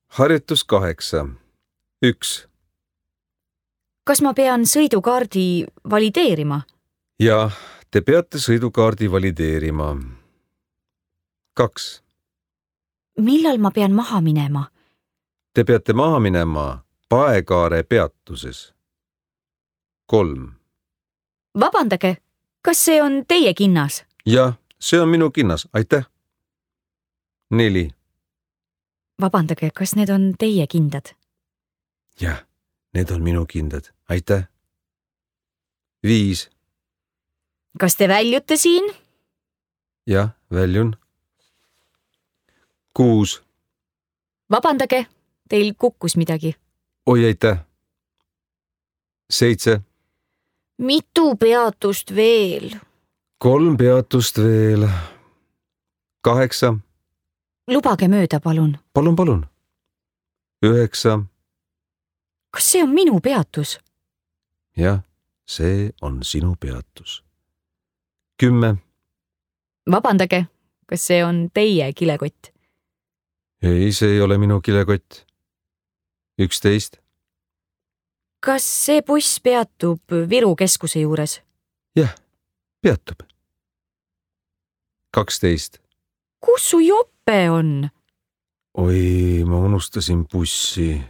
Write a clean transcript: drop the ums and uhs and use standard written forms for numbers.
Harjutus 8. 1. Kas ma pean sõidukaardi valideerima? Jah, te peate sõidukaardi valideerima. 2. Millal ma pean maha minema? Te peate maha minema Paekaare peatuses. 3. Vabandage, kas see on teie kinnas? Jah, see on minu kinnas, aitäh. 4. Vabandage, kas need on teie kindad? Jah, need on minu kindad, aitäh. 5. Kas te väljute siin? Jah, väljun. 6. Vabandage, teil kukkus midagi. Oi, aitäh. 7. Mitu peatust veel? 3 peatust veel. 8. Lubage mööda, palun. Palun. 9. Kas see on minu peatus? Jah, see on sinu peatus. 10. Vabandage, kas see on teie kilekott? Ei, see ei ole minu kilekott. 11. Kas see buss peatub Viru keskuse juures? Jah, peatub. 12. Kus su jope on? Oi, ma unustasin bussi.